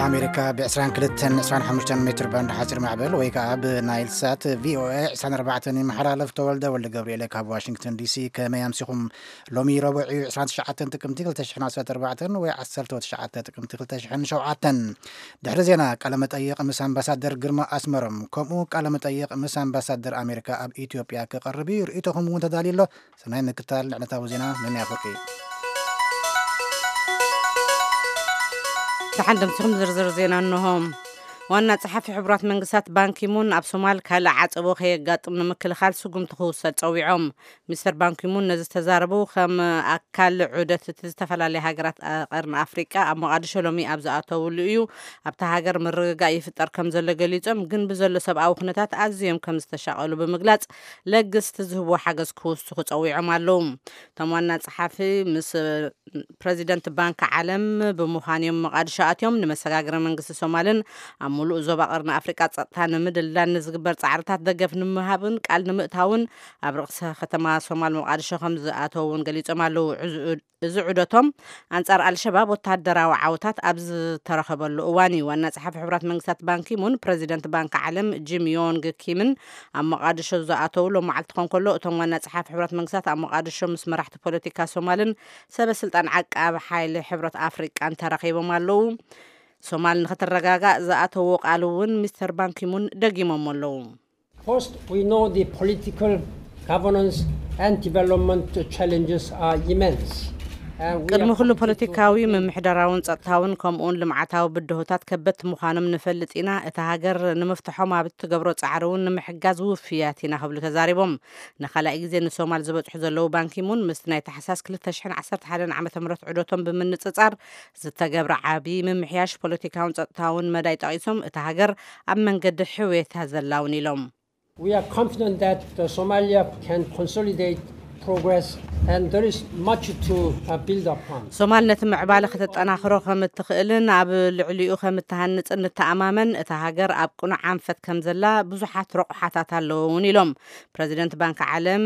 ኣሜሪካ ብ22 25 ሜትር ባንድ ሓፂር ማዕበል ወይ ከዓ ብናይል ሳት ቪኦኤ 24 ይመሓላለፍ። ተወልደ ወልደ ገብርኤል ካብ ዋሽንግተን ዲሲ። ከመይ ኣምሲኹም? ሎሚ ረቡዕ እዩ፣ 29 ጥቅምቲ 2014 ወይ 19 ጥቅምቲ 2007። ድሕሪ ዜና፣ ቃለ መጠይቕ ምስ ኣምባሳደር ግርማ ኣስመሮም፣ ከምኡ ቃለ መጠይቕ ምስ ኣምባሳደር ኣሜሪካ ኣብ ኢትዮጵያ ክቐርብ እዩ። ርእይቶኹም እውን ተዳልዩ ኣሎ። ሰናይ ምክታል። ንዕለታዊ ዜና ነናይ ኣፈቂ። ደሓን ደምሲኹም ዝርዝር ዜና እንሆ። ዋና ጸሓፊ ሕቡራት መንግስታት ባንኪሙን ኣብ ሶማል ካልእ ዓጸቦ ከየጋጥም ንምክልኻል ስጉምቲ ክውሰድ ጸዊዖም። ሚስተር ባንኪሙን ነዚ ዝተዛረቡ ከም ኣካል ዑደት እቲ ዝተፈላለያ ሃገራት ቀርኒ ኣፍሪቃ ኣብ ሞቓዲሾ ሎሚ ኣብ ዝኣተውሉ እዩ። ኣብታ ሃገር ምርግጋእ ይፍጠር ከም ዘሎ ገሊጾም፣ ግን ብዘሎ ሰብኣዊ ኩነታት ኣዝዮም ከም ዝተሻቐሉ ብምግላጽ ለግስቲ ዝህብዎ ሓገዝ ክውስኹ ጸዊዖም ኣለዉ። እቶም ዋና ጸሓፊ ምስ ፕረዚደንት ባንክ ዓለም ብምዃን እዮም መቓድሾ ኣትዮም። ንመሰጋገሪ መንግስቲ ሶማልን ኣብ ሙሉእ ዞባ ቀርኒ ኣፍሪቃ ጸጥታ ንምድልዳል ንዝግበር ጻዕርታት ደገፍ ንምሃብን ቃል ንምእታውን ኣብ ርእሰ ከተማ ሶማል መቓድሾ ከም ዝኣተው እውን ገሊጾም ኣለዉ። እዚ ዑ-፣ እዚ ዑደቶም ኣንጻር ኣልሸባብ ወተሃደራዊ ዓወታት ኣብ ዝተረኸበሉ እዋን እዩ። ዋና ጸሓፊ ሕቡራት መንግስታት ባንኪሙን ፕረዚደንት ባንክ ዓለም ጂም ዮንግ ኪምን ኣብ መቓድሾ ዝኣተው ሎም መዓልቲ ክኾን ከሎ፣ እቶም ዋና ጸሓፊ ሕቡራት መንግስታት ኣብ መቓድሾ ምስ መራሕቲ ፖለቲካ ሶማልን ሰበ ስልጣን ዓቃብ ሓይሊ ሕብረት ኣፍሪቃን ተራኺቦም ኣለዉ። ሶማል ንኽትረጋጋእ ዝኣተዎ ቃል እውን ሚስተር ባንኪሙን ደጊሞም ኣለዉ። First, we know the political governance and development challenges are immense. And we are ቅድሚ ኩሉ committed to ፖለቲካዊ፣ ምምሕዳራውን ጸጥታውን ከምኡውን ልምዓታዊ ብድሆታት ከበድቲ ምዃኖም ንፈልጥ ኢና። እታ ሃገር ንምፍትሖም ኣብ እትገብሮ ጻዕሪ እውን ንምሕጋዝ ውፍያት ኢና ክብሉ ተዛሪቦም። ንኻልኣይ ግዜ ንሶማል ዝበጽሑ ዘለዉ ባንኪሙን ምስቲ ናይ ታሕሳስ 2011 ዓ.ም ዑደቶም ብምንጽጻር ዝተገብረ ዓቢ ምምሕያሽ ፖለቲካውን ጸጥታውን መዳይ ጠቒሶም፣ እታ ሃገር ኣብ መንገዲ ሕውየታ ዘላ እውን ኢሎም። We are confident that the Somalia can consolidate progress and there is much to, uh, build upon. ሶማል ነቲ ምዕባለ ከተጠናኽሮ ከም እትኽእልን ኣብ ልዕሊኡ ከም እትሃንጽን ንተኣማመን። እታ ሃገር ኣብ ቅኑዕ ኣንፈት ከም ዘላ ብዙሓት ረቑሓታት ኣለዎ እውን ኢሎም። ፕረዚደንት ባንክ ዓለም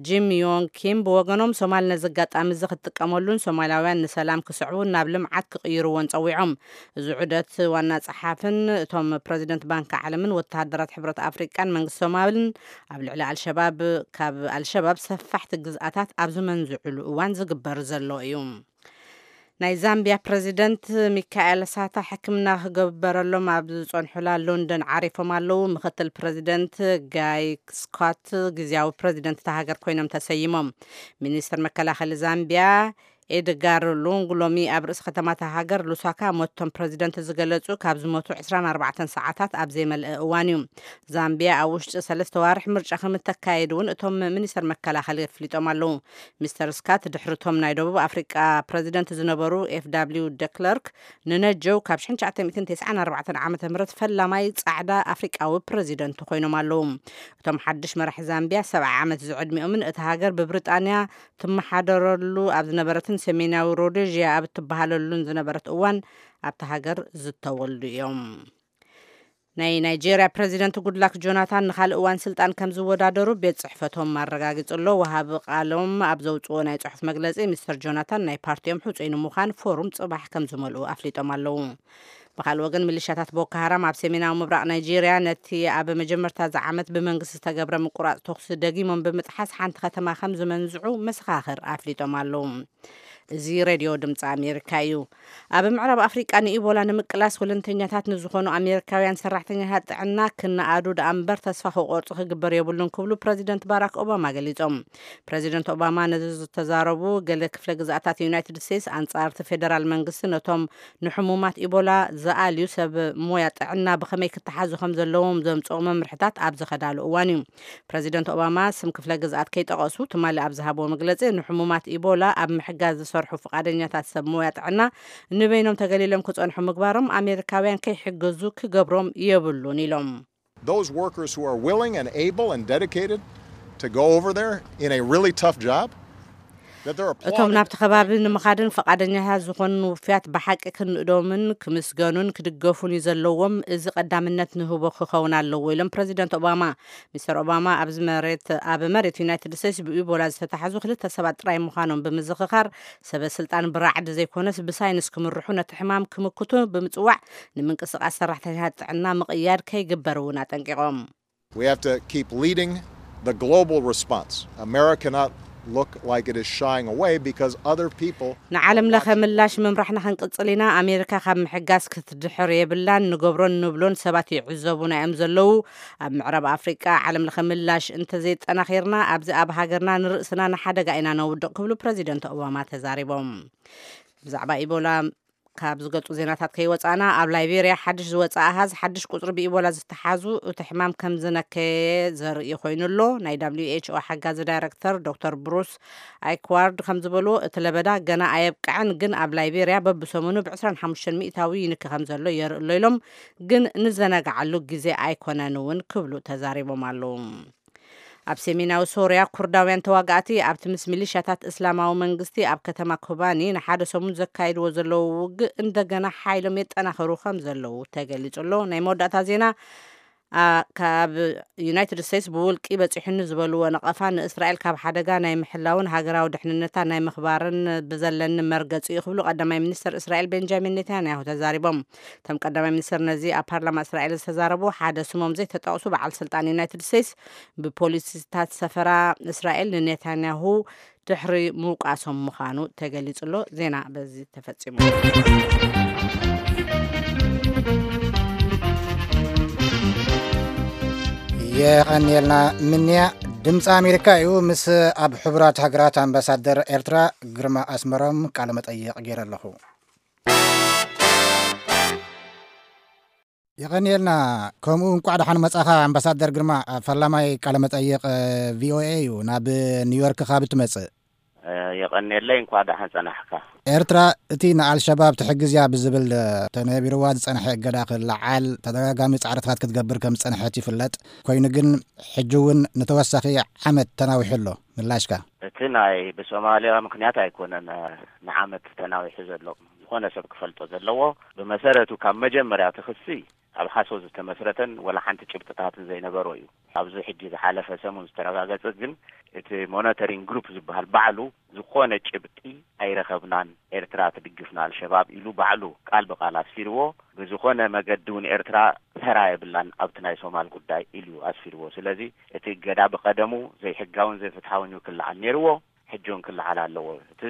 ጂም ዮንግ ኪም ብወገኖም፣ ሶማል ነዚ ኣጋጣሚ እዚ ክትጥቀመሉን ሶማላውያን ንሰላም ክስዕቡን ናብ ልምዓት ክቕይርዎን ጸዊዖም። እዚ ዑደት ዋና ጸሓፍን እቶም ፕረዚደንት ባንክ ዓለምን ወተሃደራት ሕብረት ኣፍሪቃን መንግስቲ ሶማልን ኣብ ልዕሊ ኣልሸባብ፣ ካብ ኣልሸባብ ሰፋሕቲ ግዝኣታት ኣብ ዝመንዝዕሉ እዋን ዝግበር ዘሎ እዩ። ናይ ዛምቢያ ፕረዚደንት ሚካኤል ሳታ ሕክምና ክገበረሎም ኣብ ዝጸንሑላ ሎንደን ዓሪፎም ኣለዉ። ምክትል ፕረዚደንት ጋይ ስኮት ግዝያዊ ፕረዚደንት እታ ሃገር ኮይኖም ተሰይሞም። ሚኒስትር መከላኸሊ ዛምቢያ ኤድጋር ሉንግ ሎሚ ኣብ ርእሲ ከተማ እታ ሃገር ሉሳካ ሞቶም ፕረዚደንት ዝገለጹ ካብ ዝሞቱ 24 ሰዓታት ኣብ ዘይመልአ እዋን እዩ። ዛምቢያ ኣብ ውሽጢ ሰለስተ ዋርሕ ምርጫ ከም እተካየድ እውን እቶም ሚኒስትር መከላኸሊ ኣፍሊጦም ኣለዉ። ሚስተር ስካት ድሕርቶም ናይ ደቡብ ኣፍሪቃ ፕረዚደንት ዝነበሩ ኤፍ ደብሊው ደክለርክ ንነጀው ካብ 1994 ዓ.ም ፈላማይ ጻዕዳ ኣፍሪቃዊ ፕረዚደንት ኮይኖም ኣለዉ። እቶም ሓድሽ መራሒ ዛምቢያ 70 ዓመት ዝዕድሚኦምን እታ ሃገር ብብሪጣንያ ትመሓደረሉ ኣብ ዝነበረትን ሰሜናዊ ሮዴዥያ ኣብ እትበሃለሉን ዝነበረት እዋን ኣብታ ሃገር ዝተወልዱ እዮም። ናይ ናይጄርያ ፕረዚደንት ጉድላክ ጆናታን ንኻልእ እዋን ስልጣን ከም ዝወዳደሩ ቤት ጽሕፈቶም ኣረጋጊጹ ኣሎ። ወሃቢ ቃሎም ኣብ ዘውጽዎ ናይ ጽሑፍ መግለጺ፣ ሚስተር ጆናታን ናይ ፓርቲኦም ሕጹይ ንምዃን ፎሩም ጽባሕ ከም ዝመልኡ ኣፍሊጦም ኣለዉ። ብኻልእ ወገን፣ ሚሊሻታት ቦኮ ሃራም ኣብ ሰሜናዊ ምብራቕ ናይጄርያ ነቲ ኣብ መጀመርታ እዚ ዓመት ብመንግስቲ ዝተገብረ ምቁራጽ ተኹሲ ደጊሞም ብምጥሓስ ሓንቲ ከተማ ከም ዝመንዝዑ መሰኻኽር ኣፍሊጦም ኣለዉ። እዚ ሬድዮ ድምፂ ኣሜሪካ እዩ። ኣብ ምዕራብ ኣፍሪቃ ንኢቦላ ንምቅላስ ወለንተኛታት ንዝኾኑ ኣሜሪካውያን ሰራሕተኛታት ጥዕና ክነኣዱ ደኣ እምበር ተስፋ ክቆርፁ ክግበር የብሉን ክብሉ ፕረዚደንት ባራክ ኦባማ ገሊጾም። ፕረዚደንት ኦባማ ነዚ ዝተዛረቡ፣ ገለ ክፍለ ግዝኣታት ዩናይትድ ስቴትስ ኣንጻር እቲ ፌደራል መንግስቲ ነቶም ንሕሙማት ኢቦላ ዝኣልዩ ሰብ ሞያ ጥዕና ብኸመይ ክተሓዙ ከም ዘለዎም ዘምጽኦ መምርሕታት ኣብ ዝኸዳሉ እዋን እዩ። ፕረዚደንት ኦባማ ስም ክፍለ ግዝኣት ከይጠቐሱ ትማሊ ኣብ ዝሃብዎ መግለጺ፣ ንሕሙማት ኢቦላ ኣብ ምሕጋዝ ዝሰርሑ ፍቓደኛታት ሰብ ሞያ ጥዕና ንበይኖም ተገሊሎም ክጸንሑ ምግባሮም ኣሜሪካውያን ከይሕገዙ ክገብሮም የብሉን ኢሎም። Those workers who are willing and able and dedicated to go over there in a really tough job, እቶም ናብቲ ከባቢ ንምኻድን ፈቓደኛታት ዝኾኑ ውፍያት ብሓቂ ክንእዶምን ክምስገኑን ክድገፉን እዩ ዘለዎም። እዚ ቀዳምነት ንህቦ ክኸውን ኣለዎ ኢሎም ፕረዚደንት ኦባማ። ሚስተር ኦባማ ኣብዚ መሬት ኣብ መሬት ዩናይትድ ስቴትስ ብኢቦላ ዝተታሕዙ ክልተ ሰባት ጥራይ ምዃኖም ብምዝኽኻር፣ ሰበ ስልጣን ብራዕዲ ዘይኮነስ ብሳይንስ ክምርሑ፣ ነቲ ሕማም ክምክቱ ብምጽዋዕ፣ ንምንቅስቃስ ሰራሕተኛታት ጥዕና ምቕያድ ከይግበር እውን ኣጠንቂቖም። We have to keep leading the global response. America cannot look like it is shying away because other people ንዓለም ለኸ ምላሽ ምምራሕና ክንቅጽል ኢና። ኣሜሪካ ካብ ምሕጋዝ ክትድሕር የብላን። ንገብሮን ንብሎን ሰባት ይዕዘቡና እዮም ዘለዉ። ኣብ ምዕራብ ኣፍሪቃ ዓለም ለኸ ምላሽ እንተዘይጠናኺርና፣ ኣብዚ ኣብ ሃገርና ንርእስና ንሓደጋ ኢና ነውድቕ ክብሉ ፕረዚደንት ኦባማ ተዛሪቦም። ብዛዕባ ኢቦላ ካብ ዝገልጹ ዜናታት ከይወጻና፣ ኣብ ላይቤርያ ሓድሽ ዝወጸ ኣሃዝ ሓድሽ ቁጽሪ ብኢቦላ ዝተሓዙ እቲ ሕማም ከም ዝነከየ ዘርኢ ኮይኑ ኣሎ። ናይ ደብሊው ኤች ኦ ሓጋዚ ዳይረክተር ዶክተር ብሩስ ኣይክዋርድ ከም ዝበልዎ፣ እቲ ለበዳ ገና ኣየብቅዐን፣ ግን ኣብ ላይቤርያ በብሰሙኑ ብ25 ሚእታዊ ይንኪ ከም ዘሎ የርኢ ኣሎ ኢሎም፣ ግን ንዘናግዓሉ ግዜ ኣይኮነን እውን ክብሉ ተዛሪቦም ኣለዉ። ኣብ ሰሜናዊ ሶርያ ኩርዳውያን ተዋጋእቲ ኣብቲ ምስ ሚሊሻታት እስላማዊ መንግስቲ ኣብ ከተማ ኮባኒ ንሓደ ሰሙን ዘካይድዎ ዘለዉ ውግእ እንደገና ሓይሎም የጠናኽሩ ከም ዘለዉ ተገሊጹ ኣሎ። ናይ መወዳእታ ዜና፣ ኣ፣ ካብ ዩናይትድ ስቴትስ ብውልቂ በጺሑኒ ዝበልዎ ነቐፋ ንእስራኤል ካብ ሓደጋ ናይ ምሕላውን ሃገራዊ ድሕንነታ ናይ ምኽባርን ብዘለኒ መርገጺ እዩ ክብሉ ቀዳማይ ሚኒስትር እስራኤል ቤንጃሚን ኔታንያሁ ተዛሪቦም። እቶም ቀዳማይ ሚኒስትር ነዚ ኣብ ፓርላማ እስራኤል ዝተዛረቡ ሓደ ስሞም ዘይተጠቕሱ በዓል ስልጣን ዩናይትድ ስቴትስ ብፖሊሲታት ሰፈራ እስራኤል ንኔታንያሁ ድሕሪ ምውቃሶም ምዃኑ ተገሊጹ ኣሎ። ዜና በዚ ተፈጺሙ። የቐንየልና ምንያ። ድምፂ ኣሜሪካ እዩ። ምስ ኣብ ሕቡራት ሃገራት ኣምባሳደር ኤርትራ ግርማ ኣስመሮም ቃለ መጠይቕ ገይረ ኣለኹ። የቐንየልና። ከምኡ እንቋዕ ደሓን መጻኻ ኣምባሳደር ግርማ። ኣብ ፈላማይ ቃለ መጠይቕ ቪኦኤ እዩ ናብ ኒውዮርክ ካብ እትመጽእ። የቐንየለይ፣ እንኳዕ ደሓን ጸናሕካ። ኤርትራ እቲ ንኣልሸባብ ትሕግዝ እያ ብዝብል ተነቢርዋ ዝጸንሐ እገዳ ክለዓል ተደጋጋሚ ጻዕርታት ክትገብር ከም ዝጸንሐት ይፍለጥ። ኮይኑ ግን ሕጂ እውን ንተወሳኺ ዓመት ተናዊሑ ኣሎ። ምላሽካ? እቲ ናይ ብሶማልያ ምኽንያት ኣይኮነን ንዓመት ተናዊሑ ዘሎ። ዝኾነ ሰብ ክፈልጦ ዘለዎ፣ ብመሰረቱ ካብ መጀመርያ እቲ ክሲ ኣብ ሓሶት ዝተመስረተን ወላ ሓንቲ ጭብጥታትን ዘይነበሮ እዩ። ኣብዚ ሕጂ ዝሓለፈ ሰሙን ዝተረጋገጸ ግን እቲ ሞኒተሪንግ ግሩፕ ዝበሃል ባዕሉ ዝኾነ ጭብጢ ኣይረኸብናን፣ ኤርትራ ትድግፍ ንኣልሸባብ ኢሉ ባዕሉ ቃል ብቃል ኣስፊርዎ። ብዝኾነ መገዲ እውን ኤርትራ ተራ የብላን ኣብቲ ናይ ሶማል ጉዳይ ኢሉ ኣስፊርዎ። ስለዚ እቲ እገዳ ብቐደሙ ዘይሕጋውን ዘይፍትሓውን እዩ ክለዓል ነይርዎ። ሕጂ እውን ክለዓል ኣለዎ። እቲ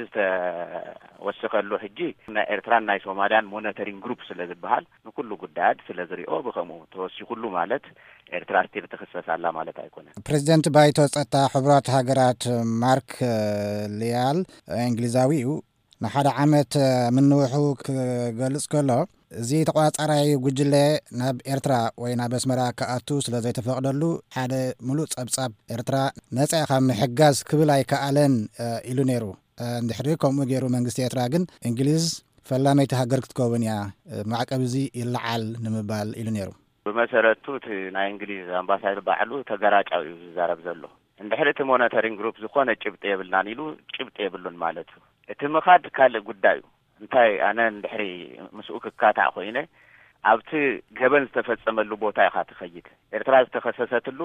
ዝተወሰኸሉ ሕጂ ናይ ኤርትራን ናይ ሶማልያን ሞኒተሪንግ ግሩፕ ስለ ዝበሃል ንኩሉ ጉዳያት ስለ ዝሪኦ ብኸምኡ ተወሲኹሉ ማለት ኤርትራ ስቲል ትኽሰስ ኣላ ማለት ኣይኮነን። ፕሬዚደንት ባይቶ ጸጥታ ሕቡራት ሃገራት ማርክ ሊያል እንግሊዛዊ እዩ። ንሓደ ዓመት ምንውሑ ክገልጽ ከሎ፣ እዚ ተቋጻራይ ጉጅለ ናብ ኤርትራ ወይ ናብ ኣስመራ ክኣቱ ስለ ዘይተፈቕደሉ፣ ሓደ ምሉእ ጸብጻብ ኤርትራ ነጻ ካብ ምሕጋዝ ክብል ኣይከኣለን፣ እ፣ ኢሉ ነይሩ። እ፣ እንድሕሪ ከምኡ ገይሩ መንግስቲ ኤርትራ ግን እንግሊዝ ፈላመይቲ ሃገር ክትከውን እያ፣ እ፣ ማዕቀብ እዚ ይለዓል ንምባል ኢሉ ነይሩ። ብመሰረቱ እቲ ናይ እንግሊዝ ኣምባሳደር ባዕሉ ተገራጫዊ እዩ ዝዛረብ ዘሎ። እንድሕሪ እቲ ሞኒተሪንግ ግሩፕ ዝኾነ ጭብጢ የብልናን ኢሉ፣ ጭብጢ የብሉን ማለት እዩ። እቲ ምኻድ ካልእ ጉዳይ እዩ። እንታይ ኣነ እንድሕሪ ምስኡ ክካታዕ ኮይነ፣ ኣብቲ ገበን ዝተፈጸመሉ ቦታ ኢኻ ትኸይድ። ኤርትራ ዝተኸሰሰትሉ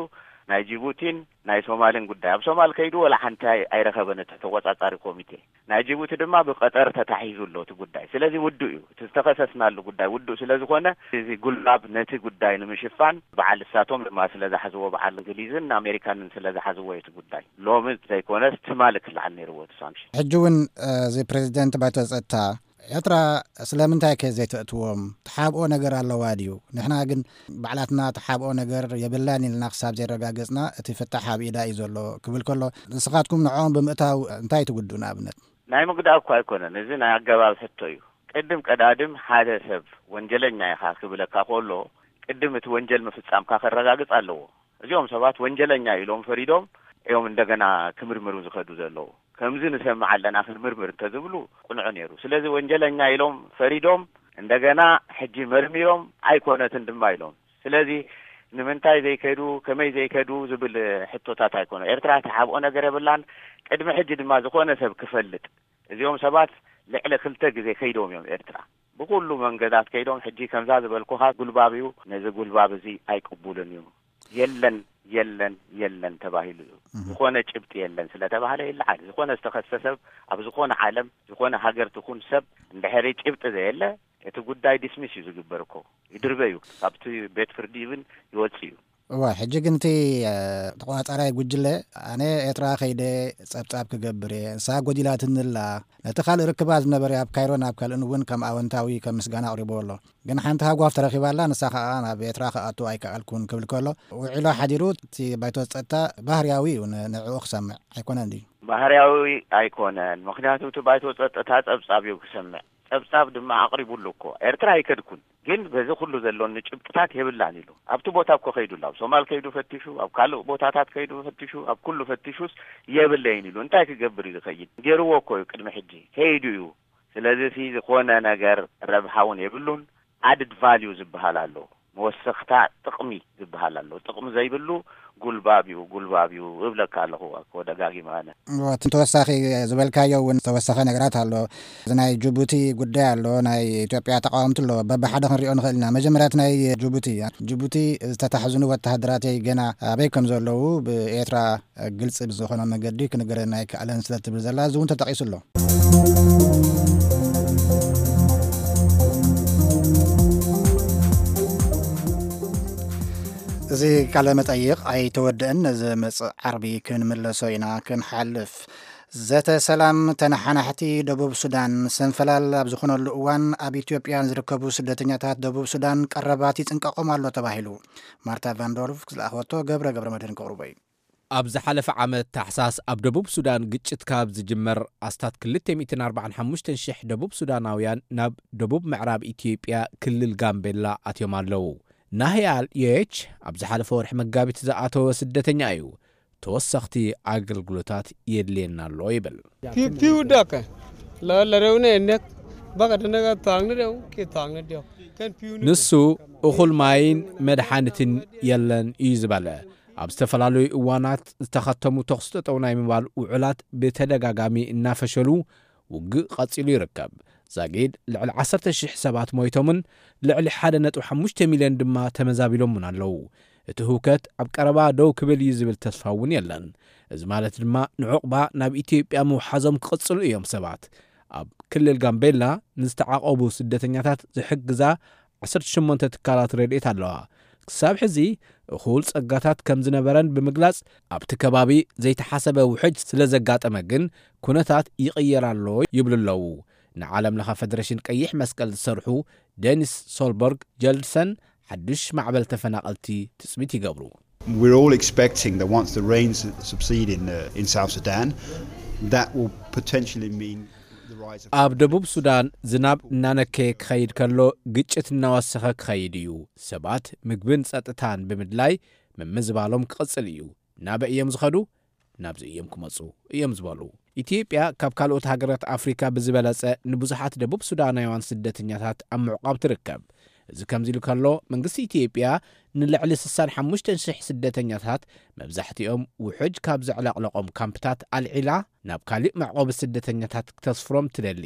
ናይ ጅቡቲን ናይ ሶማልን ጉዳይ። ኣብ ሶማል ከይዱ ወላ ሓንቲ ኣይ-፣ ኣይረኸበን እቲ ተቆጻጻሪ ኮሚቴ። ናይ ጅቡቲ ድማ ብቀጠር ተታሒዙ ኣሎ እቲ ጉዳይ። ስለዚ ውዱእ እዩ። እቲ ዝተኸሰስናሉ ጉዳይ ውዱእ ስለ ዝኾነ፣ እዚ ጉልባብ ነቲ ጉዳይ ንምሽፋን በዓል እሳቶም ድማ ስለ ዝሓዝዎ፣ በዓል እንግሊዝን ኣሜሪካንን ስለ ዝሓዝዎ እዩ እቲ ጉዳይ። ሎሚ ዘይኮነስ ትማሊ ክለዓል ነይርዎ እቲ ሳንክሽን። ሕጂ እውን፣ እ፣ እዚ ፕሬዚደንት ባይቶ ጸጥታ ኤርትራ ስለምንታይ ከ ዘይተእትዎም? ትሓብኦ ነገር ኣለዋ ድዩ? ንሕና ግን ባዕላትና ትሓብኦ ነገር የብላን ኢልና ክሳብ ዘረጋገጽና እቲ ፍታሕ ኣብ ኢዳ እዩ ዘሎ ክብል ከሎ፣ ንስኻትኩም ንዕኦም ብምእታው እንታይ ትጉድኡ ንኣብነት? ናይ ምግዳእ እኳ ኣይኮነን፣ እዚ ናይ ኣገባብ ሕቶ እዩ። ቅድም ቀዳድም ሓደ ሰብ ወንጀለኛ ኢኻ ክብለካ ከሎ፣ ቅድም እቲ ወንጀል ምፍጻምካ ከረጋግጽ ኣለዎ። እዚኦም ሰባት ወንጀለኛ ኢሎም ፈሪዶም እዮም እንደገና ክምርምሩ ዝኸዱ ዘለዉ። ከምዚ ንሰምዕ ኣለና ክንምርምር እንተዝብሉ ቅኑዕ ነይሩ። ስለዚ ወንጀለኛ ኢሎም ፈሪዶም እንደገና ሕጂ መርሚሮም ኣይኮነትን ድማ ኢሎም። ስለዚ ንምንታይ ዘይከዱ፣ ከመይ ዘይከዱ ዝብል ሕቶታት ኣይኮነ። ኤርትራ ትሓብኦ ነገር የብላን። ቅድሚ ሕጂ ድማ ዝኾነ ሰብ ክፈልጥ፣ እዚኦም ሰባት ልዕሊ ክልተ ግዜ ከይዶም እዮም ኤርትራ። ብኩሉ መንገዳት ከይዶም፣ ሕጂ ከምዛ ዝበልኩኻ ጉልባብ እዩ። ነዚ ጉልባብ እዚ ኣይቅቡልን እዩ። የለን፣ የለን፣ የለን ተባሂሉ እዩ። ዝኾነ ጭብጢ የለን ስለተባህለ ይለዓል። ዝኾነ ዝተኸሰ ሰብ ኣብ ዝኾነ ዓለም፣ ዝኾነ ሃገር ትኹን ሰብ፣ እንድሕሪ ጭብጢ ዘየለ፣ እቲ ጉዳይ ዲስሚስ እዩ ዝግበር እኮ። ይድርበ እዩ። ካብቲ ቤት ፍርዲ እውን ይወጽእ እዩ። እዋ፣ ሕጂ ግን እቲ ተቆጻጻራይ ጉጅለ፣ ኣነ ኤርትራ ከይደ ጸብጻብ ክገብር እየ፣ ንሳ ጎዲላትንላ፣ ነቲ ካልእ ርክባት ዝነበረ ኣብ ካይሮን ኣብ ካልእን እውን ከም ኣወንታዊ ከም ምስጋና ኣቕሪቦ ኣሎ። ግን ሓንቲ ሃጓፍ ተረኺባላ፣ ንሳ ከኣ ናብ ኤርትራ ክኣቱ ኣይከኣልኩን ክብል ከሎ፣ ውዒሎ ሓዲሩ እቲ ባይቶ ጸጥታ ባህርያዊ እዩ ንዕኡ ክሰምዕ ኣይኮነን ድዩ? ባህርያዊ ኣይኮነን። ምክንያቱ እቲ ባይቶ ጸጥታ ጸብጻብ እዩ ክሰምዕ። ጸብጻብ ድማ ኣቕሪቡሉ እኮ። ኤርትራ ኣይከድኩን፣ ግን በዚ ኩሉ ዘሎኒ ጭብጥታት የብላን ኢሉ። ኣብቲ ቦታ እኮ ከይዱ ኣሎ። ኣብ ሶማል ከይዱ ፈቲሹ፣ ኣብ ካልእ ቦታታት ከይዱ ፈቲሹ፣ ኣብ ኩሉ ፈቲሹስ የብለይን ኢሉ። እንታይ ክገብር እዩ ዝኸይድ? ገይርዎ እኮ እዩ ቅድሚ ሕጂ። ከይዱ እዩ። ስለዚ እቲ ዝኾነ ነገር ረብሓ እውን የብሉን። ኣድድ ቫልዩ ዝበሃል ኣሎ። መወሰኽታ ጥቕሚ ዝበሃል ኣሎ። ጥቕሚ ዘይብሉ ጉልባብ እዩ፣ ጉልባብ እዩ እብለካ ኣለኹ እኮ ደጋጊመ ኣነ። እወ፣ እቲ ተወሳኺ ዝበልካዮ እውን ዝተወሰኸ ነገራት ኣሎ። እዚ ናይ ጅቡቲ ጉዳይ ኣሎ፣ ናይ ኢትዮጵያ ተቃወምቲ ኣሎ። በብሓደ ክንሪኦ ንኽእል ኢና። መጀመርያ እቲ ናይ ጅቡቲ፣ ጅቡቲ ዝተታሕዝኑ ወተሃደራተይ ገና ኣበይ ከም ዘለዉ ብኤርትራ ግልጺ ብዝኾነ መገዲ ክንገረና ኣይከኣለን ስለ ትብል ዘላ፣ እዚ እውን ተጠቒሱ ኣሎ። እዚ ቃለ መጠይቕ ኣይተወድአን፣ ነዚ መጽእ ዓርቢ ክንምለሶ ኢና ክንሓልፍ። ዘተ ሰላም ተነሓናሕቲ ደቡብ ሱዳን ሰንፈላል ኣብ ዝኾነሉ እዋን፣ ኣብ ኢትዮጵያ ንዝርከቡ ስደተኛታት ደቡብ ሱዳን ቀረባት ይጽንቀቖም ኣሎ ተባሂሉ። ማርታ ቫንዶርፍ ዝለኣኸቶ ገብረ ገብረ መድህን ከቕርቦ እዩ። ኣብ ዝሓለፈ ዓመት ታሕሳስ ኣብ ደቡብ ሱዳን ግጭት ካብ ዝጅመር ኣስታት ክልተ ሚእትን ኣርባዓን ሓሙሽተን ሽሕ ደቡብ ሱዳናውያን ናብ ደቡብ ምዕራብ ኢትዮጵያ ክልል ጋምቤላ ኣትዮም ኣለዉ። ናህያል የች ኣብ ዝሓለፈ ወርሒ መጋቢት ዝኣተወ ስደተኛ እዩ። ተወሰኽቲ ኣገልግሎታት የድልየና ኣሎ ይብል። Piu piu dake. La la reu ne nek. Baka dene ga tang ne reu ke tang ne dio. Kan piu ne. ንሱ እኹል ማይን መድሓኒትን የለን እዩ ዝበለ። ኣብ ዝተፈላለዩ እዋናት ዝተኸተሙ ተኹሲ ጠጠው ናይ ምባል ውዕላት ብተደጋጋሚ እናፈሸሉ ውግእ ቀጺሉ ይርከብ። ዛጊድ ልዕሊ ዓሰርተ ሽሕ ሰባት ሞይቶምን ልዕሊ ሓደ ነጥቢ ሓሙሽተ ሚልዮን ድማ ተመዛቢሎምን ኣለዉ። እቲ ህውከት ኣብ ቀረባ ደው ክብል እዩ ዝብል ተስፋ እውን የለን። እዚ ማለት ድማ ንዑቕባ ናብ ኢትዮጵያ ምውሓዞም ክቕጽሉ እዮም ሰባት። ኣብ ክልል ጋምቤላ ንዝተዓቖቡ ስደተኛታት ዝሕግዛ ዓሰርተ ሸሞንተ ትካላት ረድኤት ኣለዋ። ክሳብ ሕዚ እኹል ጸጋታት ከም ዝነበረን ብምግላጽ፣ ኣብቲ ከባቢ ዘይተሓሰበ ውሕጅ ስለ ዘጋጠመ ግን ኩነታት ይቕየር ኣሎ ይብሉ ኣለዉ። ንዓለም ለኸ ፈደሬሽን ቀይሕ መስቀል ዝሰርሑ ደኒስ ሶልበርግ ጀልድሰን ሓድሽ ማዕበል ተፈናቐልቲ ትጽቢት ይገብሩ። We're all expecting that once the rains subside in, uh, in South Sudan, that will potentially mean the rise of ኣብ ደቡብ ሱዳን ዝናብ እናነከየ ክኸይድ ከሎ፣ ግጭት እናወሰኸ ክኸይድ እዩ። ሰባት ምግብን ጸጥታን ብምድላይ ምምዝባሎም ክቕጽል እዩ። ናበይ እዮም ዝኸዱ? ናብዚ እዮም ክመጹ እዮም ዝበሉ። ኢትዮጵያ ካብ ካልኦት ሃገራት ኣፍሪካ ብዝበለጸ ንብዙሓት ደቡብ ሱዳናውያን ስደተኛታት ኣብ ምዕቋብ ትርከብ። እዚ ከምዚ ኢሉ ከሎ፣ መንግስቲ ኢትዮጵያ ንልዕሊ ስሳን ሓሙሽተን ሽሕ ስደተኛታት፣ መብዛሕትኦም ውሑጅ ካብ ዘዕለቕለቖም ካምፕታት ኣልዒላ ናብ ካሊእ መዕቆቢ ስደተኛታት ክተስፍሮም ትደሊ።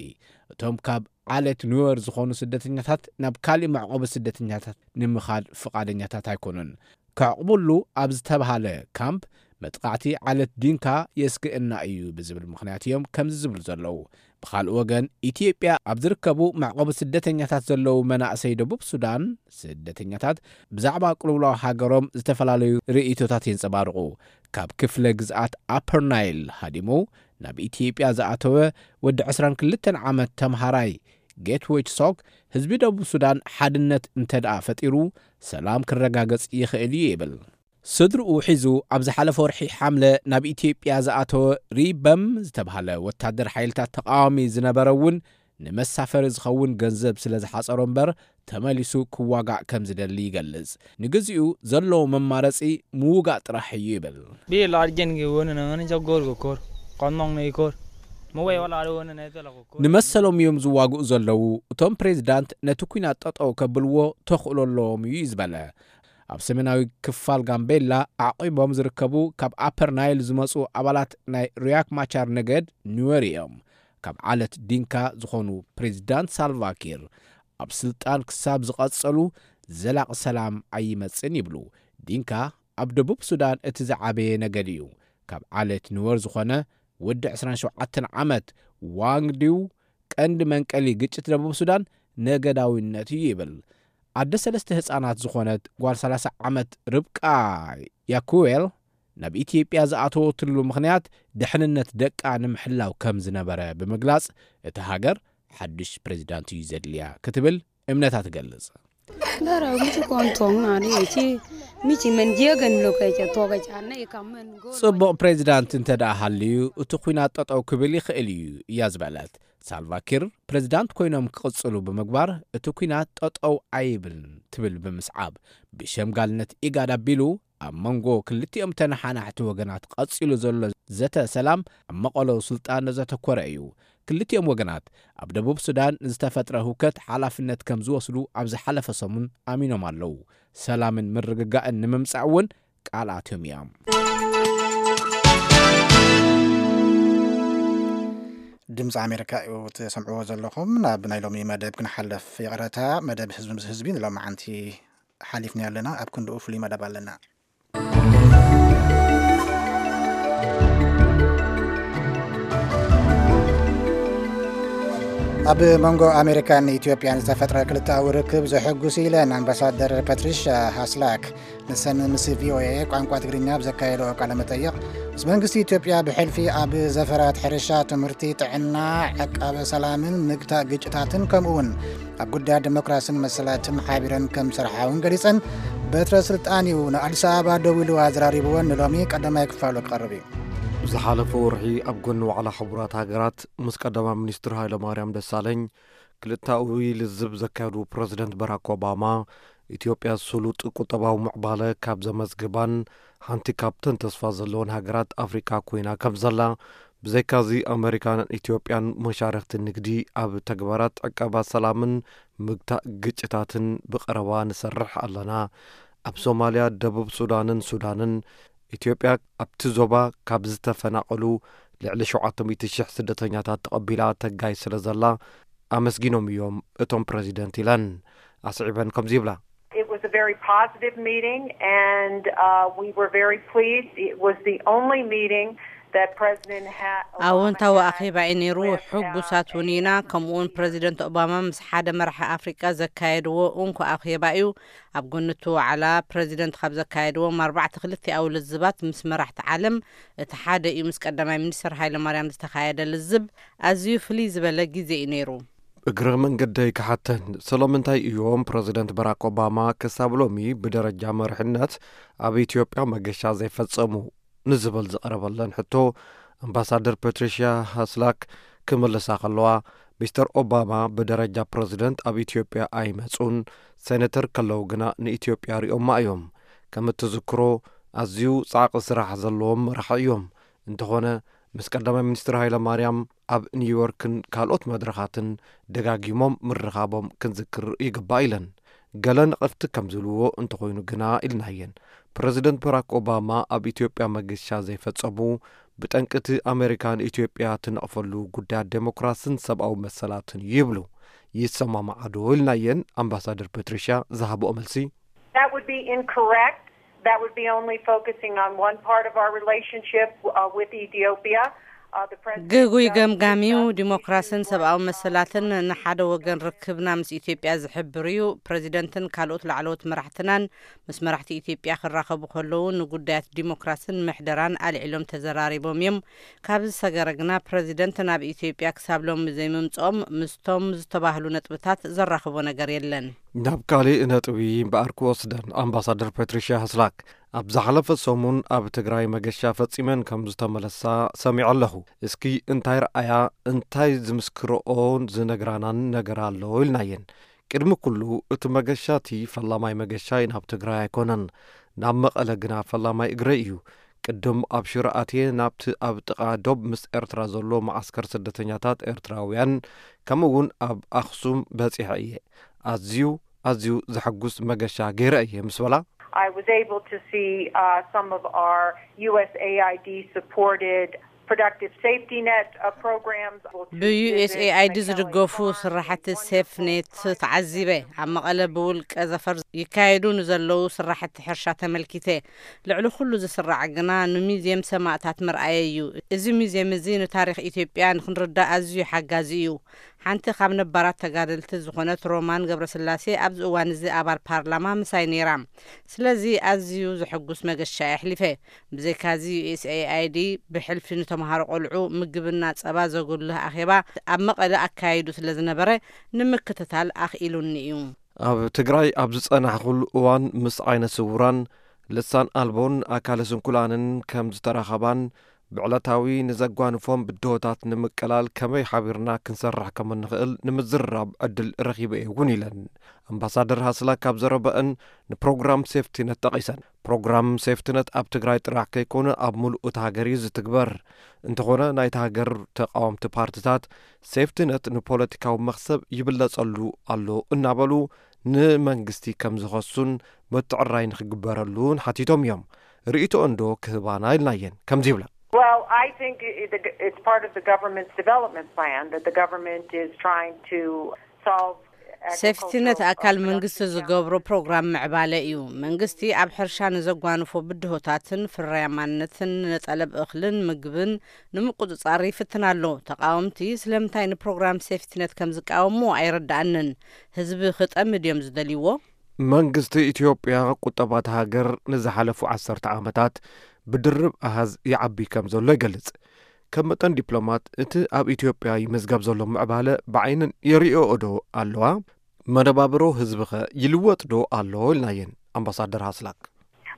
እቶም ካብ ዓሌት ኑዌር ዝኾኑ ስደተኛታት ናብ ካሊእ መዕቆቢ ስደተኛታት ንምኻድ ፍቓደኛታት ኣይኮኑን። ከዕቑብሉ ኣብ ዝተብሃለ ካምፕ መጥቃዕቲ ዓሌት ዲንካ የስግእና እዩ ብዝብል ምኽንያት እዮም ከምዚ ዝብሉ ዘለዉ። ብኻልእ ወገን፣ ኢትዮጵያ ኣብ ዝርከቡ መዕቆቢ ስደተኛታት ዘለዉ መናእሰይ ደቡብ ሱዳን ስደተኛታት ብዛዕባ ቅልውላው ሃገሮም ዝተፈላለዩ ርእይቶታት የንጸባርቑ። ካብ ክፍለ ግዝኣት ኣፐር ናይል ሃዲሙ ናብ ኢትዮጵያ ዝኣተወ ወዲ ዕስራን ክልተን ዓመት ተምሃራይ ጌትዌች ሶክ፣ ህዝቢ ደቡብ ሱዳን ሓድነት እንተ ደኣ ፈጢሩ፣ ሰላም ክረጋገጽ ይኽእል እዩ ይብል። ስድርኡ ሒዙ ኣብ ዝሓለፈ ወርሒ ሓምለ ናብ ኢትዮጵያ ዝኣተወ ሪበም ዝተባህለ ወታደር ሓይልታት ተቃዋሚ ዝነበረ እውን፣ ንመሳፈሪ ዝኸውን ገንዘብ ስለ ዝሓጸሮ እምበር፣ ተመሊሱ ክዋጋእ ከም ዝደሊ ይገልጽ። ንግዚኡ ዘለዎ መማረጺ ምውጋእ ጥራሕ እዩ ይብል። Bi largen ge wona na ngani jagor go kor. Kon mong ne kor. Mo we wala ro wona na tela go kor. ንመሰሎም እዮም ዝዋግኡ ዘለዉ። እቶም ፕሬዚዳንት ነቲ ኲናት ጠጠው ከብልዎ ተኽእሎ ኣለዎም እዩ ዝበለ። ኣብ ሰሜናዊ ክፋል ጋምቤላ ኣዕቂቦም ዝርከቡ ካብ ኣፐር ናይል ዝመጹ ኣባላት ናይ ሪያክ ማቻር ነገድ ኑዌር እዮም። ካብ ዓለት ዲንካ ዝኾኑ ፕሬዚዳንት ሳልቫኪር ኣብ ስልጣን ክሳብ ዝቐጸሉ ዘላቒ ሰላም ኣይመጽን ይብሉ። ዲንካ ኣብ ደቡብ ሱዳን እቲ ዝዓበየ ነገድ እዩ። ካብ ዓለት ኑወር ዝኾነ ወዲ ዕስራን ሸውዓተን ዓመት ዋንግ ዲው ቀንዲ መንቀሊ ግጭት ደቡብ ሱዳን ነገዳዊነት እዩ ይብል። ኣደ ሰለስተ ህፃናት ዝኾነት ጓል ሰላሳ ዓመት ርብቃ ያኩዌል ናብ ኢትዮጵያ ዝኣተወትሉ ምኽንያት ድሕንነት ደቃ ንምሕላው ከም ዝነበረ ብምግላጽ፣ እቲ ሃገር ሓድሽ ፕሬዚዳንት እዩ ዘድልያ ክትብል እምነታ ትገልጽ። Bara miti kon tong na ni chi miti men je gen lo kai cha to kai cha na i kam men go. ጽቡቕ ፕሬዚዳንት እንተ ደኣ ሃልዩ፣ እቲ ኲናት ጠጠው ክብል ይኽእል እዩ እያ ዝበለት። ሳልቫኪር ፕሬዚዳንት ኮይኖም ክቕጽሉ ብምግባር፣ እቲ ኲናት ጠጠው ኣይብልን ትብል ብምስዓብ፣ ብሸምጋልነት ኢጋድ ኣቢሉ ኣብ መንጎ ክልቲኦም ተነሓናሕቲ ወገናት ቀጺሉ ዘሎ ዘተ ሰላም ኣብ መቐሎ ስልጣን ዘተኮረ እዩ። ክልቲኦም ወገናት ኣብ ደቡብ ሱዳን ንዝተፈጥረ ህውከት ሓላፍነት ከም ዝወስዱ ኣብ ዝሓለፈ ሰሙን ኣሚኖም ኣለዉ። ሰላምን ምርግጋእን ንምምጻእ እውን ቃል ኣትዮም እዮም። ድምፂ ኣሜሪካ እዩ ትሰምዕዎ ዘለኹም። ናብ ናይ ሎሚ መደብ ክንሓልፍ ይቕረታ። መደብ ህዝቢ ምስ ህዝቢ ንሎማዓንቲ ሓሊፍና ኣለና። ኣብ ክንድኡ ፍሉይ መደብ ኣለና። ኣብ መንጎ ኣሜሪካን ኢትዮጵያን ዝተፈጥረ ክልተኣዊ ርክብ ዘሐጉስ ኢለን ኣምባሳደር ፓትሪሻ ሃስላክ። ንሰን ምስ ቪኦኤ ቋንቋ ትግርኛ ኣብ ዘካየደኦ ቃለ መጠይቕ፣ ምስ መንግስቲ ኢትዮጵያ ብሕልፊ ኣብ ዘፈራት ሕርሻ፣ ትምህርቲ፣ ጥዕና፣ ዕቃበ ሰላምን ምግታእ ግጭታትን ከምኡ እውን ኣብ ጉዳያት ዲሞክራስን መሰላትን ሓቢረን ከም ዝሰርሓ እውን ገሊጸን። በትረ ስልጣን እዩ ንኣዲስ ኣበባ ደው ኢሉ ኣዘራሪብወን። ንሎሚ ቀዳማይ ክፋሉ ክቐርብ እዩ። ዝሓለፈ ወርሒ ኣብ ጎኒ ዋዕላ ሕቡራት ሃገራት ምስ ቀዳማይ ሚኒስትር ሃይለማርያም ደሳለኝ ክልተኣዊ ልዝብ ዘካየዱ ፕረዚደንት ባራክ ኦባማ፣ ኢትዮጵያ ስሉጥ ቁጠባዊ ምዕባለ ካብ ዘመዝግባን ሓንቲ ካብተን ተስፋ ዘለወን ሃገራት ኣፍሪካ ኮይና ከም ዘላ፣ ብዘይካዚ ኣመሪካን ኢትዮጵያን መሻርኽቲ ንግዲ ኣብ ተግባራት ዕቀባ ሰላምን ምግታእ ግጭታትን ብቐረባ ንሰርሕ ኣለና። ኣብ ሶማልያ፣ ደቡብ ሱዳንን ሱዳንን ኢትዮጵያ ኣብቲ ዞባ ካብ ዝተፈናቐሉ ልዕሊ ሸውዓተ ሚእቲ ሽሕ ስደተኛታት ተቐቢላ ተጋይ ስለ ዘላ ኣመስጊኖም እዮም እቶም ፕረዚደንት ኢለን። ኣስዒበን ከምዚ ይብላ። It was a very positive meeting, and uh, we were very pleased. It was the only meeting that President ha- Obama ኣወንታዊ had ኣኼባ እዩ ነይሩ። with, uh, ሕጉሳት እውን ኢና። ከምኡ እውን ፕረዚደንት ኦባማ ምስ ሓደ መራሒ ኣፍሪቃ ዘካየድዎ እንኮ ኣኼባ እዩ። ኣብ ጎኒ እቲ ዋዕላ ፕረዚደንት ካብ ዘካየድዎም ኣርባዕተ ክልቲኣዊ ልዝባት ምስ መራሕቲ ዓለም እቲ ሓደ እዩ። ምስ ቀዳማይ ሚኒስትር ሃይለማርያም ዝተኻየደ ልዝብ ኣዝዩ ፍልይ ዝበለ ግዜ እዩ ነይሩ። እግረ መንገደይ ክሓተን፣ ስለምንታይ እዮም ፕረዚደንት ባራክ ኦባማ ክሳብ ሎሚ ብደረጃ መሪሕነት ኣብ ኢትዮጵያ መገሻ ዘይፈጸሙ ንዝብል ዝቐረበለን ሕቶ፣ ኣምባሳደር ፓትሪሽያ ሃስላክ ክምልሳ ከለዋ፣ ሚስተር ኦባማ ብደረጃ ፕረዚደንት ኣብ ኢትዮጵያ ኣይመጹን፣ ሴኔተር ከለዉ ግና ንኢትዮጵያ ሪኦማ እዮም። ከም እትዝክሮ፣ ኣዝዩ ጻዕቂ ስራሕ ዘለዎም መራሒ እዮም። እንተኾነ፣ ምስ ቀዳማይ ሚኒስትር ሃይለ ማርያም ኣብ ኒውዮርክን ካልኦት መድረኻትን ደጋጊሞም ምርኻቦም ክንዝክር ይግባእ ኢለን። ገለ ነቐፍቲ ከም ዝብልዎ እንተኾይኑ ግና ኢልናየን፣ ፕረዚደንት ባራክ ኦባማ ኣብ ኢትዮጵያ መገሻ ዘይፈጸሙ ብጠንቂ እቲ ኣሜሪካ ንኢትዮጵያ ትነቕፈሉ ጉዳያት ዴሞክራስን ሰብኣዊ መሰላትን ይብሉ። ይሰማማዓ ዶ ኢልናየን፣ ኣምባሳደር ፓትሪሽያ ዝሃብኦ መልሲ፣ That would be incorrect. That would be only focusing on one part of our relationship uh, with Ethiopia. Uh, the president ግጉይ does ገምጋሚው discuss ዲሞክራስን issues ሰብኣዊ like መሰላትን ንሓደ ወገን ርክብና ምስ ኢትዮጵያ ዝሕብር እዩ። ፕረዚደንትን ካልኦት ላዕለዎት መራሕትናን ምስ መራሕቲ ኢትዮጵያ ክራኸቡ ከለዉ ንጉዳያት ዲሞክራስን ምሕደራን ኣልዒሎም ተዘራሪቦም እዮም። ካብ ዝሰገረ ግና ፕረዚደንት ናብ ኢትዮጵያ ክሳብ ሎሚ ዘይምምፅኦም ምስቶም ዝተባህሉ ነጥብታት ዘራኽቦ ነገር የለን። ናብ ካሊእ ነጥቢ እምበኣር ክወስደን፣ ኣምባሳደር ፓትሪሽያ ሃስላክ ኣብ ዝሓለፈ ሰሙን ኣብ ትግራይ መገሻ ፈጺመን ከም ዝተመለሳ ሰሚዐ ኣለኹ። እስኪ እንታይ ረኣያ፣ እንታይ ዝምስክርኦን ዝነግራናን ነገር ኣሎ ኢልናየን። ቅድሚ ኩሉ እቲ መገሻ እቲ ፈላማይ መገሻይ ናብ ትግራይ ኣይኮነን፣ ናብ መቐለ ግና ፈላማይ እግረይ እዩ። ቅድም ኣብ ሽረ ኣትየ ናብቲ ኣብ ጥቓ ዶብ ምስ ኤርትራ ዘሎ መዓስከር ስደተኛታት ኤርትራውያን ከምኡ እውን ኣብ ኣኽሱም በጺሐ እየ። ኣዝዩ ኣዝዩ ዘሐጉስ መገሻ ገይረ እየ ምስ በላ፣ I was able to see uh, some of our U S A I D supported productive safety net uh, programs. ብ U S A I D ዝድገፉ ስራሕቲ ሴፍትኔት ተዓዚበ። ኣብ መቐለ ብውልቀ ዘፈር ይካየዱ ንዘለዉ ስራሕቲ ሕርሻ ተመልኪተ። ልዕሊ ኩሉ ዝስራዕ ግና ንሙዝየም ሰማእታት ምርኣየ እዩ። እዚ ሙዝየም እዚ ንታሪኽ ኢትዮጵያ ንክንርዳእ ኣዝዩ ሓጋዚ እዩ። ሓንቲ ካብ ነባራት ተጋደልቲ ዝኾነት ሮማን ገብረስላሴ ኣብዚ እዋን እዚ ኣባል ፓርላማ ምሳይ ነይራ። ስለዚ ኣዝዩ ዘሐጉስ መገሻ የሕሊፈ። ብዘይካዚ U S A I D ብሕልፊ ንተምሃሮ ቆልዑ ምግብና ጸባ ዘጉልህ ኣኼባ ኣብ መቐለ ኣካይዱ ስለ ዝነበረ ንምክትታል ኣኽኢሉኒ እዩ። ኣብ ትግራይ ኣብ ዝጸናሕኩሉ እዋን ምስ ዓይነ ስውራን፣ ልሳን ኣልቦን ኣካለ ስንኩላንን ከም ዝተራኸባን ብዕለታዊ ንዘጓንፎም ብድሆታት ንምቅላል ከመይ ሓቢርና ክንሰርሕ ከም እንኽእል ንምዝርራብ ዕድል ረኺበ እየ እውን ኢለን። ኣምባሳደር ሃስላ ካብ ዘረበአን ንፕሮግራም ሴፍቲነት ጠቒሰን። ፕሮግራም ሴፍቲነት ኣብ ትግራይ ጥራሕ ከይኮነ ኣብ ሙሉእ እታ ሃገር እዩ ዝትግበር። እንተኾነ ናይታ ሃገር ተቃወምቲ ፓርትታት ሴፍቲነት ንፖለቲካዊ መኽሰብ ይብለጸሉ ኣሎ እናበሉ ንመንግስቲ ከም ዝኸሱን ምትዕራይ ንክግበረሉን ሓቲቶም እዮም። ርእይቶ እንዶ ክህባና ኢልናየን ከምዚ ይብላ። Well, I think it- it's part of the government's development plan that the government is trying to solve. ሴፍቲነት ኣካል መንግስቲ ዝገብሮ ፕሮግራም ምዕባለ እዩ። መንግስቲ ኣብ ሕርሻ ንዘጓንፎ ብድሆታትን ፍርያማነትን ንጠለብ እኽልን ምግብን ንምቁፅፃር ይፍትን ኣሎ። ተቃወምቲ ስለምንታይ ንፕሮግራም ሴፍቲነት ከም ዝቃወሙ ኣይረዳኣንን። ህዝቢ ክጠምድ እዮም ዝደልይዎ። መንግስቲ ኢትዮጵያ ቁጠባ እታ ሃገር ንዝሓለፉ ዓሰርተ ዓመታት ብድርብ ኣሃዝ ይዓቢ ከም ዘሎ ይገልጽ። ከም መጠን ዲፕሎማት እቲ ኣብ ኢትዮጵያ ይምዝገብ ዘሎ ምዕባለ ብዓይንን የርእዮኦ ዶ ኣለዋ? መነባብሮ ህዝብኸ ይልወጥ ዶ ኣሎ? ኢልናየን ኣምባሳደር ሃስላክ።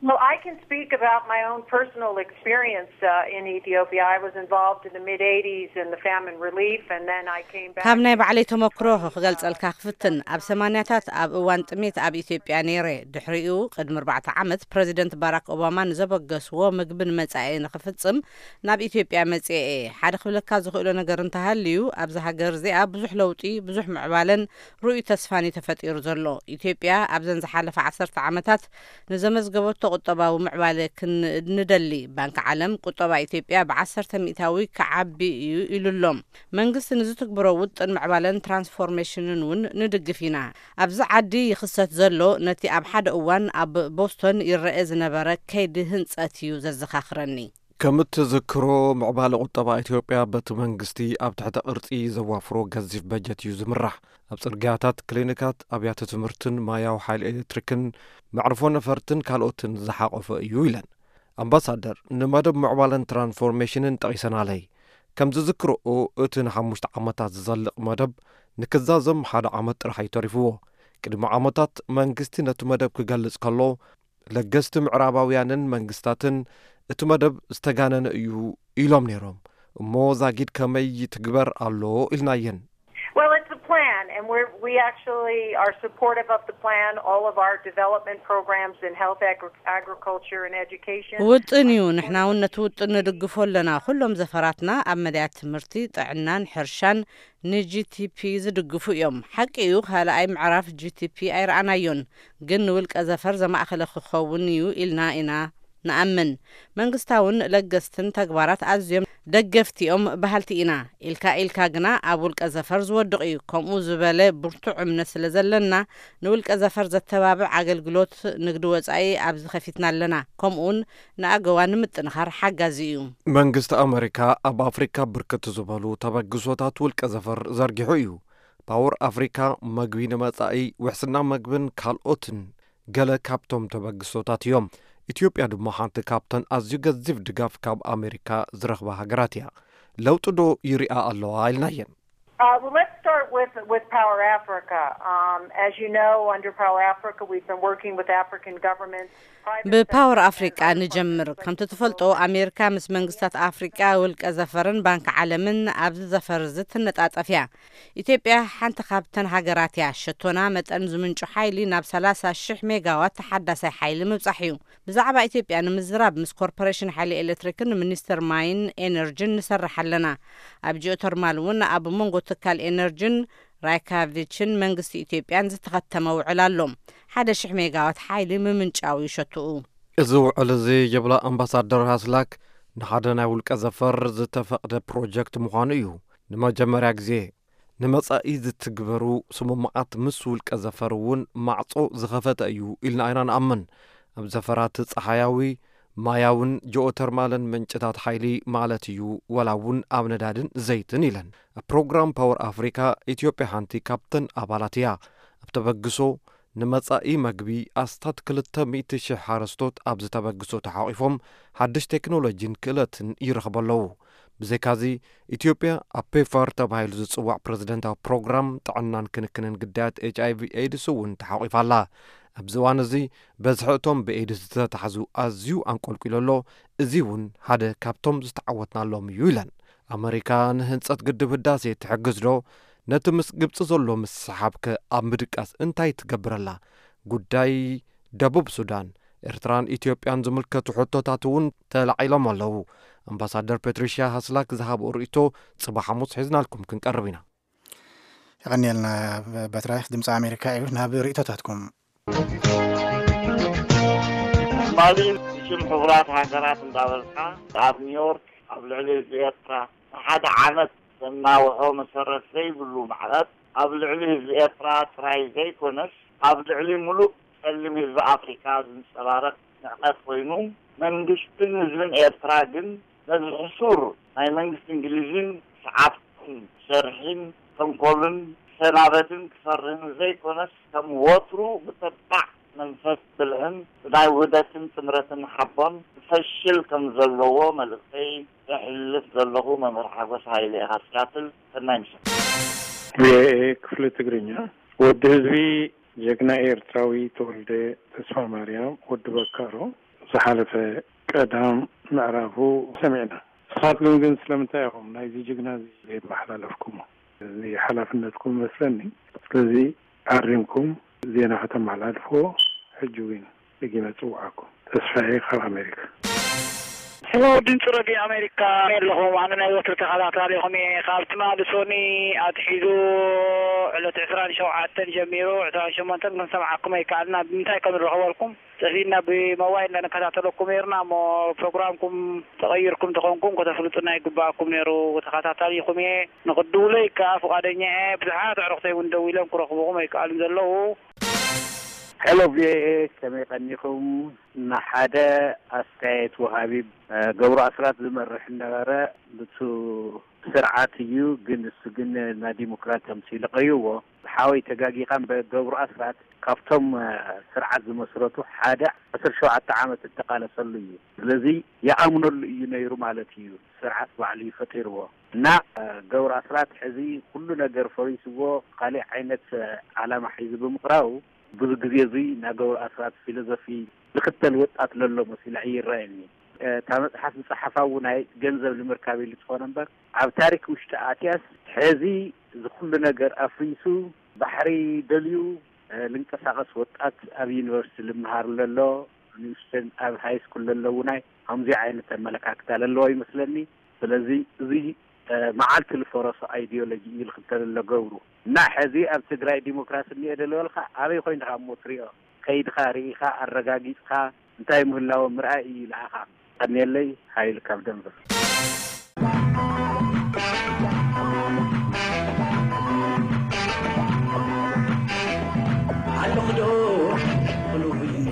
Well, I can speak about my own personal experience uh, in Ethiopia. I was involved in the mid eighties in the famine relief, and then I came back. ካብ ናይ ባዕለይ ተመክሮ ክገልጸልካ ክፍትን። ኣብ ሰማንያታት ኣብ እዋን ጥሜት ኣብ ኢትዮጵያ ነይረ። ድሕሪኡ ቅድሚ ኣርባዕተ ዓመት ፕረዚደንት ባራክ ኦባማ ንዘበገስዎ ምግቢ ንመጻኢ ንኽፍጽም ናብ ኢትዮጵያ መጽኤ እየ። ሓደ ክብለካ ዝኽእሎ ነገር እንተሃልዩ፣ ኣብዚ ሃገር እዚኣ ብዙሕ ለውጢ፣ ብዙሕ ምዕባለን ርኡይ ተስፋን እዩ ተፈጢሩ ዘሎ። ኢትዮጵያ ኣብዘን ዝሓለፈ ዓሰርተ ዓመታት ንዘመዝገበቶ ቁጠባዊ ምዕባለ ክንንደሊ፣ ባንኪ ዓለም ቁጠባ ኢትዮጵያ ብዓሰርተ ሚእታዊ ክዓቢ እዩ ኢሉ ኣሎ። መንግስቲ ንዝትግብሮ ውጥን ምዕባለን ትራንስፎርሜሽንን እውን ንድግፍ ኢና። ኣብዚ ዓዲ ይኽሰት ዘሎ ነቲ ኣብ ሓደ እዋን ኣብ ቦስቶን ይረአ ዝነበረ ከይዲ ህንጸት እዩ ዘዘኻኽረኒ። ከም እትዝክሮ፣ ምዕባለ ቁጠባ ኢትዮጵያ በቲ መንግስቲ ኣብ ትሕተ ቅርጺ ዘዋፍሮ ገዚፍ በጀት እዩ ዝምራሕ። ኣብ ጽርግያታት፣ ክሊኒካት፣ ኣብያተ ትምህርትን ማያዊ ሓይሊ ኤሌክትሪክን መዕርፎ ነፈርትን ካልኦትን ዝሓቆፈ እዩ ኢለን። ኣምባሳደር፣ ንመደብ ምዕባለን ትራንስፎርሜሽንን ጠቒሰናለይ። ከም ዝዝክርኦ፣ እቲ ንሓሙሽተ ዓመታት ዝዘልቕ መደብ ንክዛዘም ሓደ ዓመት ጥራሕ እዩ ተሪፍዎ። ቅድሚ ዓመታት መንግስቲ ነቲ መደብ ክገልጽ ከሎ፣ ለገስቲ ምዕራባውያንን መንግስታትን እቲ መደብ ዝተጋነነ እዩ ኢሎም ነይሮም። እሞ ዛጊድ ከመይ ይትግበር ኣሎ ኢልናየን። Well, it's a plan, and we're, we actually are supportive of the plan. All of our development programs in health, agri- agriculture, and education. ውጥን እዩ። ንሕና እውን ነቲ ውጥን ንድግፎ ኣለና። ኩሎም ዘፈራትና ኣብ መዳያት ትምህርቲ፣ ጥዕናን ሕርሻን ንጂቲፒ ዝድግፉ እዮም። ሓቂ እዩ፣ ካልኣይ ምዕራፍ ጂቲፒ ኣይረኣናዮን፣ ግን ንውልቀ ዘፈር ዘማእኸለ ክኸውን እዩ ኢልና ኢና ንኣምን። መንግስታውን ለገስትን ተግባራት ኣዝዮም ደገፍቲ እዮም በሃልቲ ኢና። ኢልካ ኢልካ ግና ኣብ ውልቀ ዘፈር ዝወድቕ እዩ። ከምኡ ዝበለ ብርቱዕ እምነት ስለ ዘለና፣ ንውልቀ ዘፈር ዘተባብዕ ኣገልግሎት ንግዲ ወጻኢ ኣብዚ ከፊትና ኣለና። ከምኡውን ንኣገዋ ንምጥንኻር ሓጋዚ እዩ። መንግስቲ ኣመሪካ ኣብ ኣፍሪካ ብርክት ዝበሉ ተበግሶታት ውልቀ ዘፈር ዘርጊሑ እዩ። ፓወር ኣፍሪካ፣ መግቢ ንመጻኢ፣ ውሕስና መግብን ካልኦትን ገለ ካብቶም ተበግሶታት እዮም። ኢትዮጵያ ድማ ሓንቲ ካብተን ኣዝዩ ገዚፍ ድጋፍ ካብ ኣሜሪካ ዝረኽባ ሃገራት እያ። ለውጢ ዶ ይሪኣ ኣለዋ ኢልናየን። Uh, well, let's start with, with Power Africa. Um, as you know, under Power Africa, we've been working with African governments, private ብፓወር sector, ኣፍሪቃ and other ንጀምር። partners ከምቲ like ትፈልጦ፣ ኣሜሪካ ምስ መንግስታት ኣፍሪቃ፣ ውልቀ ዘፈርን ባንክ ዓለምን ኣብዚ ዘፈር እዚ ትነጣጠፍ እያ። ኢትዮጵያ ሓንቲ ካብተን ሃገራት እያ። ሸቶና መጠን ዝምንጩ ሓይሊ ናብ ሰላሳ ሽሕ ሜጋዋት ተሓዳሳይ ሓይሊ ምብጻሕ እዩ። ብዛዕባ ኢትዮጵያ ንምዝራብ ምስ ኮርፖሬሽን ሓይሊ ኤሌክትሪክን ሚኒስትር ማይን ኤነርጂን ንሰርሕ ኣለና። ኣብ ጂኦተርማል እውን ኣብ መንጎ ትካል ኤነርጂን ራይካቪችን መንግስቲ ኢትዮጵያን ዝተኸተመ ውዕል ኣሎ። ሓደ ሽሕ ሜጋዋት ሓይሊ ምምንጫው እዩ ሸትኡ። እዚ ውዕል እዚ፣ ይብላ ኣምባሳደር ሃስላክ፣ ንሓደ ናይ ውልቀ ዘፈር ዝተፈቕደ ፕሮጀክት ምዃኑ እዩ። ንመጀመርያ ግዜ ንመጻኢ ዝትግበሩ ስምምዓት ምስ ውልቀ ዘፈር እውን ማዕጾ ዝኸፈተ እዩ ኢልና ኢና ንኣምን። ኣብ ዘፈራት ጸሓያዊ፣ ማያውን ጂኦተርማልን ምንጭታት ሓይሊ ማለት እዩ፣ ዋላ እውን ኣብ ነዳድን ዘይትን ኢለን። ኣብ ፕሮግራም ፓወር ኣፍሪካ፣ ኢትዮጵያ ሓንቲ ካብተን ኣባላት እያ። ኣብ ተበግሶ ንመጻኢ መግቢ ኣስታት ክልተ ሚእቲ ሽሕ ሓረስቶት ኣብዚ ተበግሶ ተሓቒፎም ሓድሽ ቴክኖሎጂን ክእለትን ይረኽቡ ኣለዉ። ብዘይካዚ፣ ኢትዮጵያ ኣብ ፔፋር ተባሂሉ ዝጽዋዕ ፕረዚደንታዊ ፕሮግራም ጥዕናን ክንክንን ግዳያት ኤች ኣይ ቪ ኤድስ እውን ተሓቒፋ ኣላ። ኣብዚ እዋን እዚ፣ በዝሒ እቶም ብኤድስ ዝተታሕዙ ኣዝዩ ኣንቆልቂሉ ኣሎ። እዚ እውን ሓደ ካብቶም ዝተዓወትናሎም እዩ ኢለን። ኣመሪካ ንህንጸት ግድብ ህዳሴ ትሕግዝ ዶ? ነቲ ምስ ግብጺ ዘሎ ምስሕሓብ ከ ኣብ ምድቃስ እንታይ ትገብር ኣላ? ጉዳይ ደቡብ ሱዳን፣ ኤርትራን ኢትዮጵያን ዝምልከቱ ሕቶታት እውን ተላዒሎም ኣለዉ። ኣምባሳደር ፔትሪሽያ ሃስላክ ዝሃብኦ ርእይቶ ጽባሕ ሓሙስ ሒዝናልኩም ክንቀርብ ኢና። የቐንየልና። በትራይክ ድምፂ ኣሜሪካ እዩ። ናብ ርእይቶታትኩም። ትማሊ ብሽም ሕቡራት ሃገራት እንዳበልካ ኣብ ኒውዮርክ ኣብ ልዕሊ ህዝቢ ኤርትራ ንሓደ ዓመት ዘናውሖ መሰረት ዘይብሉ ማዕቐብ ኣብ ልዕሊ ህዝቢ ኤርትራ ጥራይ ዘይኮነስ ኣብ ልዕሊ ሙሉእ ጸሊም ህዝቢ ኣፍሪካ ዝንጸባረቕ ንዕቀት ኮይኑ፣ መንግስትን ህዝብን ኤርትራ ግን ነዚ ሕሱር ናይ መንግስቲ እንግሊዝን ሰዓብቱን ሸርሒን ተንኮልን ሰናበትን ክፈርህን ዘይኮነስ ከም ወትሩ ብተባዕ መንፈስ ብልሕን ብናይ ውህደትን ጥምረትን ሓቦን ክፈሽል ከም ዘለዎ መልእኽተይ ዘሕልፍ ዘለኹ መምህር ሓጎስ ሃይለ ኢኻ ሲያትል። ሰናይ ምሸት። ቪኦኤ ክፍሊ ትግርኛ። ወዲ ህዝቢ ጀግና ኤርትራዊ ተወልደ ተስፋማርያም ወዲ በካሮ ዝሓለፈ ቀዳም ምዕራፉ ሰሚዕና። ንስኻትኩም ግን ስለምንታይ ኢኹም ናይዚ ጅግና እዚ ዘይመሓላለፍኩሞ? እዚ ሓላፍነትኩም ይመስለኒ። ስለዚ ኣሪምኩም ዜና ከተመሓላልፍዎ ሕጂ እውን ደጊመ እጽውዓኩም። ተስፋዬ ካብ ኣሜሪካ። ሕሎ ድምፂ ረድዮ ኣሜሪካ ኣለኹም። ኣነ ናይ ወትሪ ተኸታታሊኹም እየ። ካብ ትማሊ ሶኒ ኣትሒዙ ዕለት ዕስራን ሸውዓተን ጀሚሩ ዕስራን ሸሞንተን ክንሰምዓኩም ኣይከኣልና። ብምንታይ ከም ንረኽበልኩም ጠፊእና ብሞባይል ኢና ንከታተለኩም ነይርና እሞ ፕሮግራምኩም ተቐይርኩም ተኾንኩም ከተፍልጡና ይግባኣኩም ነይሩ። ተኸታታሊኹም እየ። ንኽድውለይ ከኣ ፍቓደኛ እየ። ብዙሓት ኣዕሩኽተይ እውን ደዊሎም ክረኽብኹም ኣይከኣሉን ዘለዉ። ሄሎ ቪኦኤ፣ ከመይ ቀኒኹም? ንሓደ ኣስተያየት ወሃቢ፣ እ፣ ገብሩ ኣስራት ዝመርሕ ነበረ። ብቱ ስርዓት እዩ፣ ግን እሱ ግን ናብ ዲሞክራት ተምሲሉ ቀይዎ። ሓወይ ተጋጊኻ እምበር ገብሩ ኣስራት ካብቶም፣ እ፣ ስርዓት ዝመስረቱ ሓደ ዓሰርተ ሸውዓተ ዓመት እተቃለሰሉ እዩ። ስለዚ ይኣምነሉ እዩ ነይሩ ማለት እዩ። ስርዓት ባዕሉ እዩ ፈጢርዎ። እና፣ እ፣ ገብሩ ኣስራት ሕዚ ኩሉ ነገር ፈሪስዎ፣ ካሊእ ዓይነት፣ እ፣ ዓላማ ሒዙ ብምቕራቡ ብዙ ግዜ እዙይ ናይ ገብሩ ኣስራት ፊሎዞፊ ዝኽተል ወጣት ለሎ መሲሉ ኣይረኣየኒ። እታ መፅሓፍ ዝፀሓፋ እውን ናይ ገንዘብ ንምርካብ ኢሉ ዝኾነ እምበር ኣብ ታሪክ ውሽጢ ኣትያስ ሕዚ ዝኩሉ ነገር ኣፍሪሱ ባሕሪ ደልዩ ልንቀሳቐስ ወጣት ኣብ ዩኒቨርሲቲ ልምሃር ለሎ ንእሽተን ኣብ ሃይ ስኩል ለሎ እውን ከምዚ ዓይነት ኣመለካክታ ለለዎ ይመስለኒ። ስለዚ እዚ መዓልቲ ዝፈረሶ ኣይዲዮሎጂ እዩ ዝኽተል ኣሎ ገብሩ። እና ሕዚ ኣብ ትግራይ ዲሞክራሲ እኒኦ ዶ ዝበልካ ኣበይ ኮይንካ እሞ ትሪኦ? ከይድካ ርኢኻ ኣረጋጊፅካ እንታይ ምህላዎ ምርኣይ እዩ ንዓኻ። ቀንየለይ። ሃይል ካብ ደንቨር።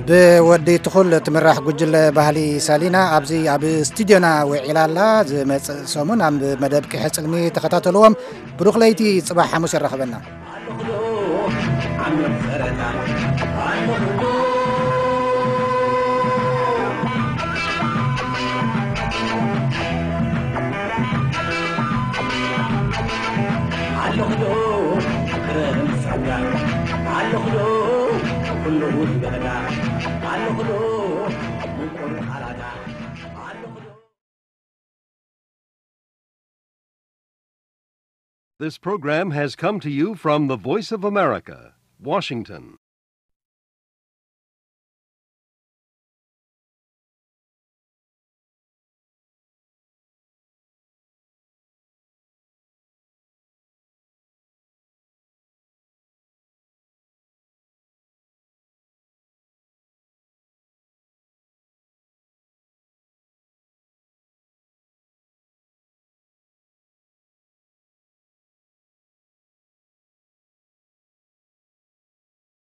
ብወዲ ትኹል ትምራሕ ጉጅለ ባህሊ ሳሊና ኣብዚ ኣብ ስቱድዮና ውዒላ ኣላ። ዝመጽእ ሰሙን ኣብ መደብ ቂሐ ጽልሚ ተኸታተልዎም። ብሩኽ ለይቲ፣ ጽባሕ ሓሙስ የራኽበና። This program has come to you from the Voice of America, Washington.